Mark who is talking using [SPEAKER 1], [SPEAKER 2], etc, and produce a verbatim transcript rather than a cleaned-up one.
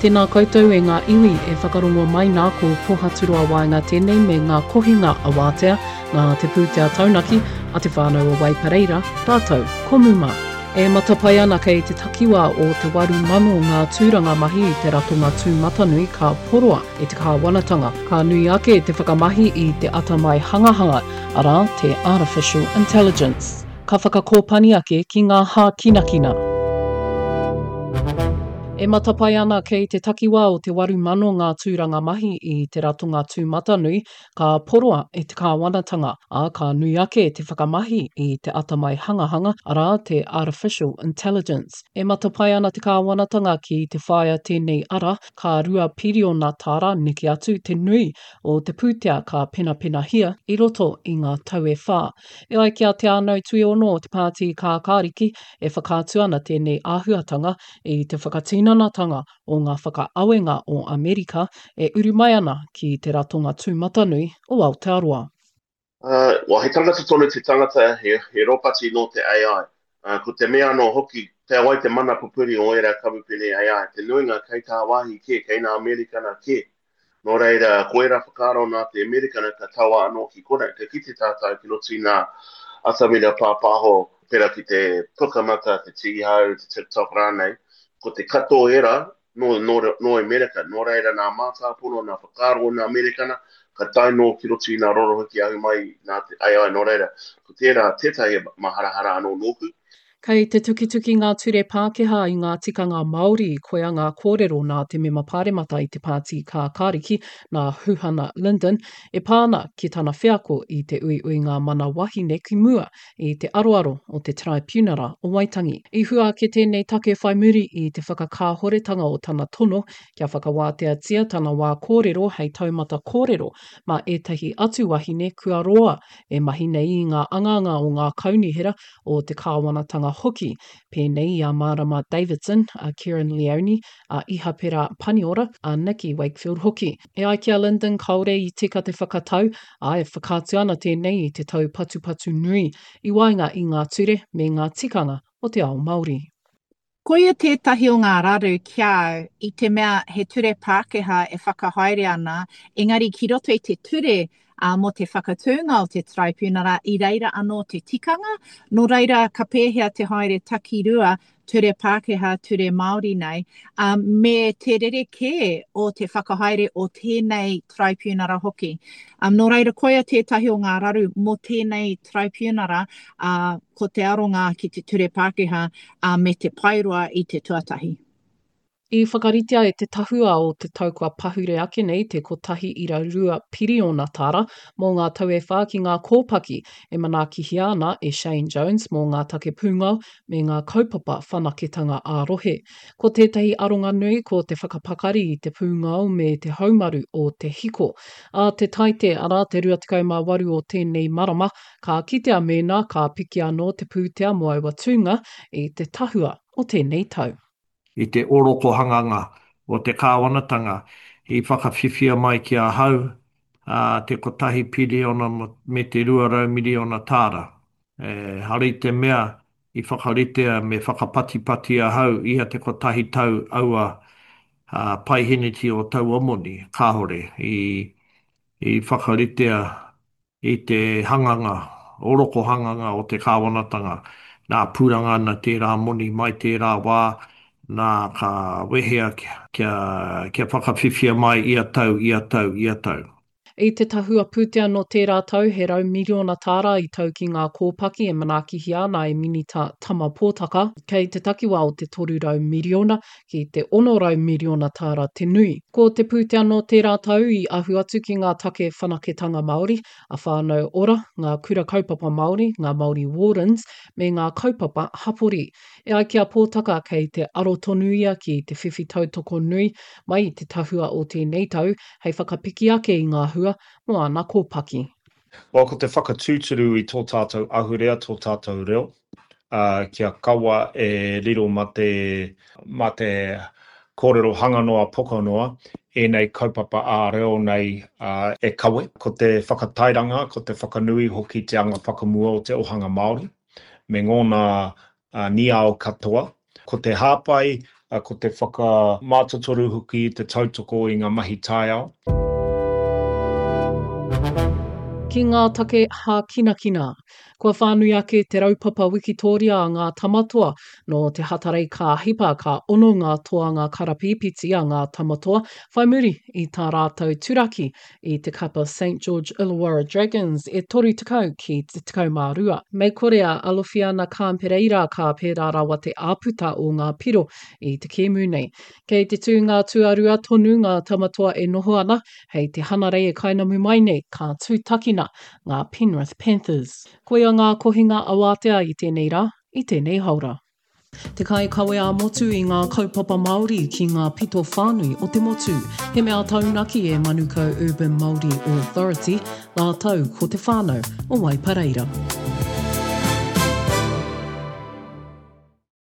[SPEAKER 1] Tēnā koutou e ngā iwi e whakarongo mai nā ko Pohaturoa Waenga tēnei me ngā kohinga awātea, nā te pūtea taunaki a te whānau o Waipareira, rātou ko Muma. E matapae ana kei te takiwā o te waru mano ngā tūranga mahi i te ratonga tūmatanui ka poroa e te kāwanatanga. Ka nui ake te whakamahi i te atamai hangahanga, arā, te Artificial Intelligence. Ka whakakōpani ake ki ngā hākinakina. E matapae ana kei te takiwā o te waru mano ngā tūranga mahi i te ratonga tūmatanui ka poroa e te kāwanatanga, ā, ka nui ake te whakamahi i te atamai hangahanga, arā, te Artificial Intelligence. E matapae ana te kāwanatanga ki te whāia tēnei ara, ka rua piriona tāra neke atu te nui o te pūtea ka penapenahia i roto i ngā tau e whā. E ai ki a Te Ānau Tuiono o te Pāti Kākāriki, e whakaatu ana tēnei āhuatanga i te whakatinanatanga o ngā whakaawenga o Amerika e uru mai ana ki te ratonga tūmatanui o Aotearoa.
[SPEAKER 2] Uh, well, he tangata tonu te tangata, he, he ropati nō te AI. Uh, ko te mea anō hoki, te wai te mana pupuri o ērā kamupene AI, te nuinga kei tāwāhi kē, kei nā Amerikana kē. Nō reira, ko ērā whakaaro nā te Amerikana ka taua anō ki konei. Ka kite tātou ki roto i ngā atamira pāpāho, pērā ki te Pukamata, te Tīhau, te TikTok rānei, ko te katoa ērā nō, nō, nō Amerika. Nō reira, nā mātāpono, nā whakaaro o nā Amerikana, ka tae nō ki roto i nā rorohiki ahu mai nā te AI. Nō reira, ko tērā tētahi maharahara anō nōku.
[SPEAKER 1] Kei te tukituki ngā ture Pākehā i ngā tikanga Māori, koia ngā kōrero nā te mema pāremata i te Pāti Kākāriki, nā Huhana Lyndon, e pā ana ki tana wheako i te uiuinga mana wahine ki mua i te aroaro o te Taraipiunara o Waitangi. I hua ake tēnei take whai muri i te whakakāhoretanga o tana tono kia whakawāteatia tana wā kōrero hei taumata kōrero mā ētahi atu wahine kua roa e mahi nei i ngā angaanga o ngā kaunihera o te kāwanatanga hoki, pēnei i a Marama Davidson, a Kerrin Leoni, a Ihapera Paniora, a Nicky Wakefield hoki. E ai ki a Lyndon kāore i tika te whakatau, ā, e whakaatu ana tēnei i te taupatupatu nui i waenga i ngā ture me ngā tikanga o te ao Māori.
[SPEAKER 3] Koia tētahi o ngā raru ki a au i te mea he ture Pākehā e whakahaere ana, engari ki roto i te ture uh, mō te whakatūnga o te taraipiunara i reira anō te tikanga, nō reira ka pēhea te haere takirua ture Pākehā, ture Māori nei, um, me te rerekē o te whakahaere o tēnei taraipiunara hoki. Um, nō reira koia tētahi o ngā raru mō tēnei taraipiunara, uh, ko te aronga ki te ture Pākehā uh, me te paeroa i te tuatahi.
[SPEAKER 1] I whakaritea e te tahua o te tau kua pahure ake nei te kotahi ira rua piriona tāra mō ngā tau e whā ki ngā kōpaki e manaakihia ana e Shane Jones mō ngā take pūngao me ngā kaupapa whanaketanga ā-rohe. Ko tētahi aronga nui ko te whakapakari i te pūngao me te haumaru o te hiko. Ā te Taite, arā te rua tekau mā waru o tēnei marama, ka kitea mēnā ka piki anō te pūtea mō aua tūnga i te tahua o tēnei tau.
[SPEAKER 4] I te orokohanganga o te kāwanatanga i whakawhiwhia mai ki ahau te kotahi piriona me te rua rau miriona tāra. Ehara i te mea i whakaritea me whakapatipati ahau ia te kotahi tau aua paiheneti o taua moni, kāore i whakaritea i te hanganga, orokohanganga o te kāwanatanga, nā pūranga ana tērā moni mai tērā wā, nā ka wehea kia, kia whakawhiwhia mai ia tau, ia tau, ia tau.
[SPEAKER 1] I te tahua pūtea nō tērā tau, he rau miriona tāra i tau ki ngā kōpaki e manaakihia ana e Minita Tama Pōtaka, kei te takiwā o te toru rau miriona ki te ono rau miriona tāra te nui. Ko te pūtea nō tērā tau i ahu atu ki ngā take whanaketanga Māori, a Whānau Ora, ngā kura kaupapa Māori, ngā Māori Wardens, me ngā kaupapa hapori. E ai ki a Pōtaka kei te aro tonu ia ki te whiwhi tautoko nui mai i te tahua o tēnei tau hei whakapiki ake i ngā hua mō ana kōpaki.
[SPEAKER 5] Well, ko te whakatūturu i tō tātou ahurea, tō tātou reo, uh, kia kaua e riro mā te, mā te kōrero hanga noa, poko noa, ēnei kaupapa ā-reo nei uh, e kawe. Ko te whakatairanga, ko te whakanui hoki te anga whakamua o te ohanga Māori, me ngōna uh, niao katoa. Ko te hāpai ko te whakamātotoru hoki i te tautoko i ngā mahi taiao.
[SPEAKER 1] Ki ngā take hākinakina. Kua whānui ake te raupapa wikitōria a ngā Tamatoa. Nō te Hatarei ka hipa ka ono ngā toanga karapīpiti a ngā Tamatoa whai muri i tā rātou turaki i te kapa Saint George Illawarra Dragons e toru tekau ki te tekau mā rua. Mei kore a Alofiana Khan Pereira ka pērā rawa te āputa o ngā piro i te kēmu nei. Kei te tūnga tuarua tonu ngā Tamatoa e noho ana, hei te Hanarei e kainamu mai nei ka tūtakina ngā Penrith Panthers. Koia ngā kohinga awātea i tēnei rā, i tēnei haora. Te kaikawe ā-motu i ngā kaupapa Māori ki ngā pito whānui o te motu. He mea taunaki e Manukau Urban Māori Authority rātou ko te whānau o Waipareira.